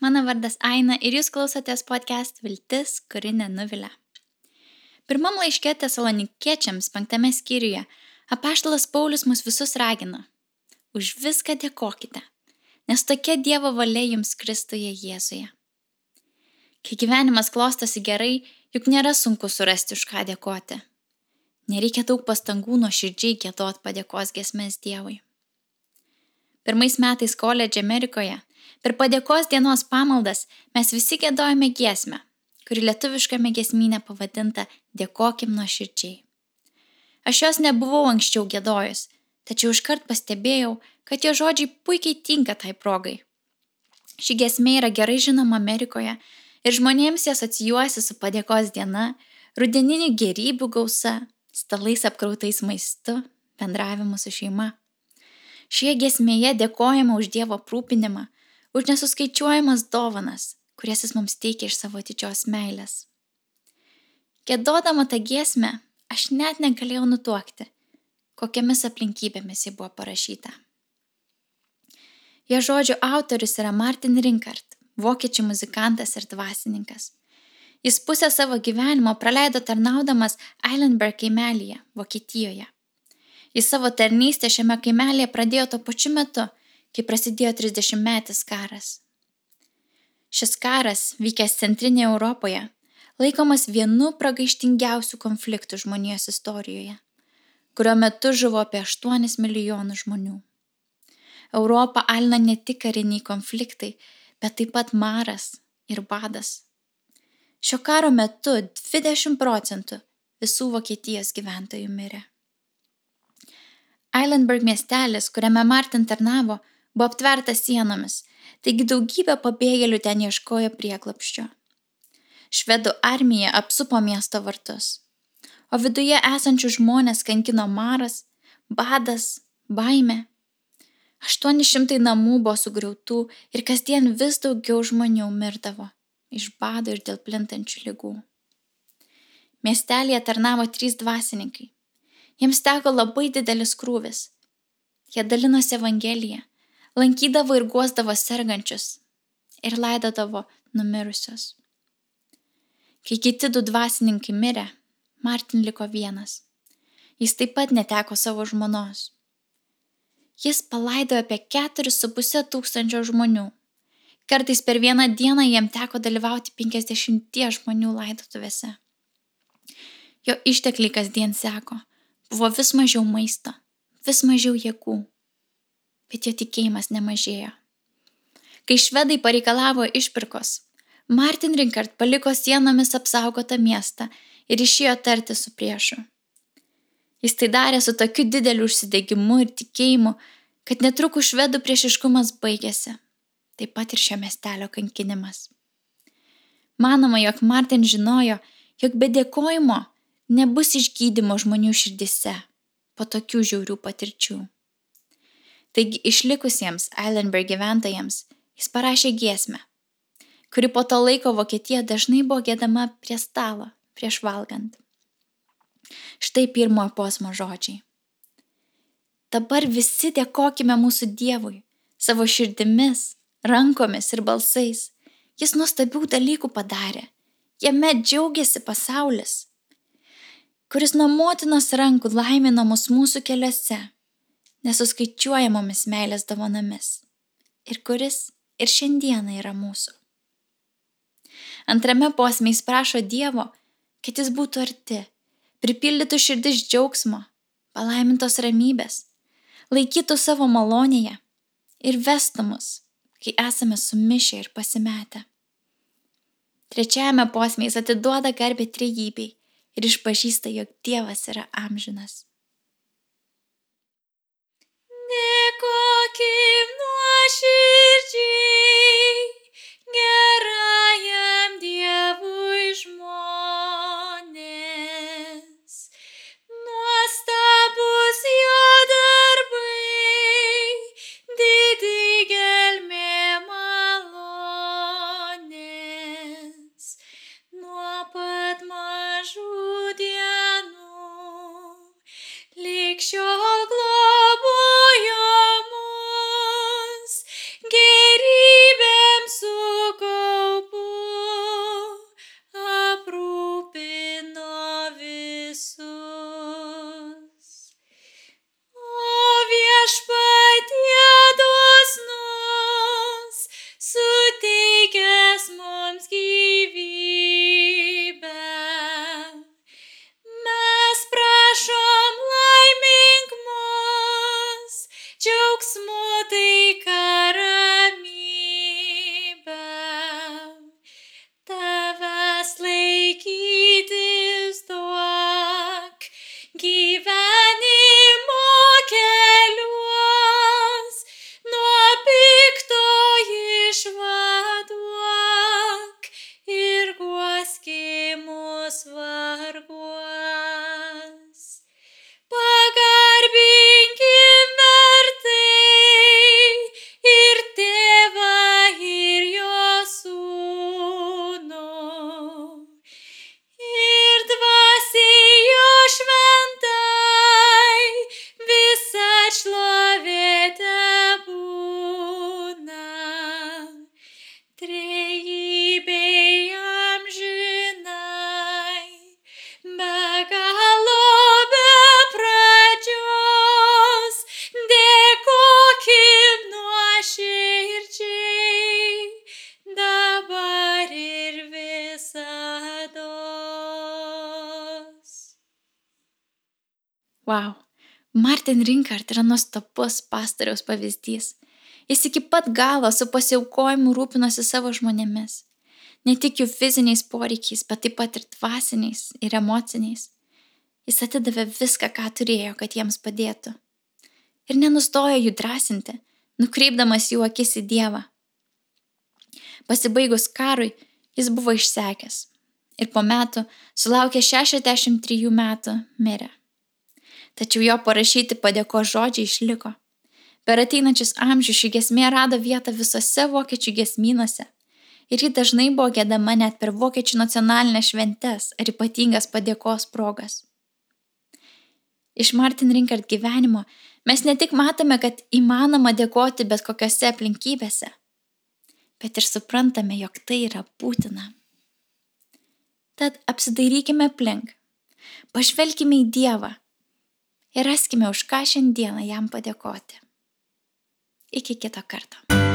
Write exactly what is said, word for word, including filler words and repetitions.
Mano vardas Aina ir jūs klausotės podcast Viltis, kuri nenuvilia. Pirmam laiške Tesalonikiečiams penktame skyriuje apaštalas Paulius mus visus ragina. Už viską dėkokite, nes tokia Dievo valia jums Kristuje Jėzuje. Kai gyvenimas klostosi gerai, juk nėra sunku surasti už ką dėkoti. Nereikia daug pastangų nuoširdžiai giedot padėkos giesmes Dievui. Pirmais metais koledže Amerikoje per padėkos dienos pamaldas mes visi giedojame giesmę, kuri lietuviškame giesmyne pavadinta Dėkokim nuoširdžiai. Aš jos nebuvau anksčiau giedojus, tačiau iškart pastebėjau, kad jo žodžiai puikiai tinka tai progai. Ši giesmė yra gerai žinoma Amerikoje ir žmonėms jas asocijuojasi su padėkos diena, rudeninių gėrybių gausa, stalais apkrautais maistu, bendravimu su šeima. Šioje giesmėje dėkojama už Dievo aprūpinimą, už nesuskaičiuojamas dovanas, kurias jis mums teikia iš savo didžios meilės. Giedodama tą giesmę, aš net negalėjau nutuokti, kokiamis aplinkybėmis ji buvo parašyta. Jo žodžių autorius yra Martin Rinkart, vokiečių muzikantas ir dvasininkas. Jis pusę savo gyvenimo praleido tarnaudamas Eilenberg kaimelyje, Vokietijoje. Jis savo tarnystę šiame kaimelėje pradėjo tuo pačiu metu, kai prasidėjo trisdešimtmetis karas. Šis karas, vykęs centrinėje Europoje, laikomas vienu pragaištingiausių konfliktų žmonijos istorijoje, kurio metu žuvo apie aštuonis milijonus žmonių. Europą alina ne tik kariniai konfliktai, bet taip pat maras ir badas. Šio karo metu dvidešimt procentų visų Vokietijos gyventojų mirė. Eilenberg miestelis, kuriame Martin tarnavo, buvo aptvertas sienomis, taigi daugybė pabėgėlių ten ieškojo prieglobsčio. Švedų armija apsupo miesto vartus, o viduje esančių žmonės kankino maras, badas, baimė. Aštuoni šimtai namų buvo sugriautų ir kasdien vis daugiau žmonių mirdavo iš bado ir dėl plintančių ligų. Miestelėje tarnavo trys dvasininkai. Jiems teko labai didelis krūvis. Jie dalinosi evangeliją, lankydavo ir guosdavo sergančius ir laidodavo numirusius. Kai kiti du dvasininkai mirė, Martin liko vienas. Jis taip pat neteko savo žmonos. Jis palaidojo apie keturis su puse tūkstančio žmonių. Kartais per vieną dieną jam teko dalyvauti penkiasdešimties žmonių laidotuvėse. Jo ištekliai kasdien seko. Buvo vis mažiau maisto, vis mažiau jėgų, bet jo tikėjimas nemažėjo. Kai švedai pareikalavo išpirkos, Martin Rinkart paliko sienomis apsaugotą miestą ir išėjo tarti su priešu. Jis tai darė su tokiu dideliu užsidegimu ir tikėjimu, kad netrukus švedų priešiškumas baigėsi, taip pat ir šio miestelio kankinimas. Manoma, jog Martin žinojo, jog be dėkojimo nebus išgydymo žmonių širdise po tokių žiaurių patirčių. Taigi išlikusiems Eilenberg gyventojams jis parašė giesmę, kuri po to laiko Vokietija dažnai buvo giedama prie stalo, prieš valgant. Štai pirmojo posmo žodžiai. Dabar visi dėkokime mūsų Dievui, savo širdimis, rankomis ir balsais. Jis nuostabių dalykų padarė. Jame džiaugiasi pasaulis, kuris nuo motinos rankų laimino mus mūsų keliuose, nesuskaičiuojamomis meilės dovanomis, ir kuris ir šiandieną yra mūsų. Antrame posme jis prašo Dievo, kad jis būtų arti, pripildytų širdis džiaugsmo, palaimintos ramybės, laikytų savo malonėje ir vestų mus, kai esame sumišę ir pasimetę. Trečiajame posme jis atiduoda garbę trejybei ir išpažįsta, jog Dievas yra amžinas. Dėkokim nuoširdžiai gerajam Dievui žmonės. Nuostabus jo darbai, didi gelmė malonės. Nuo pat mažų lig šiol globojo mus, gerybėm suko Wow. Martin Rinkart yra nuostabus pastoriaus pavyzdys. Jis iki pat galo su pasiaukojimu rūpinosi savo žmonėmis. Ne tik jų fiziniais poreikiais, bet taip pat ir dvasiniais ir emociniais. Jis atidavė viską, ką turėjo, kad jiems padėtų. Ir nenustojo jų drąsinti, nukreipdamas jų akis į Dievą. Pasibaigus karui, jis buvo išsekęs. Ir po metų, sulaukė šešiasdešimt trijų metų, mirė. Tačiau jo parašyti padėkos žodžiai išliko. Per ateinančius amžius ši giesmė rado vietą visose vokiečių giesmynuose. Ir ji dažnai buvo giedama net per vokiečių nacionalinės šventes ar ypatingas padėkos progas. Iš Martin Rinkart gyvenimo mes ne tik matome, kad įmanoma dėkoti bet kokiose aplinkybėse, bet ir suprantame, jog tai yra būtina. Tad apsidairykime aplink, pažvelkime į Dievą ir raskime, už ką šiandieną jam padėkoti. Iki kito karto.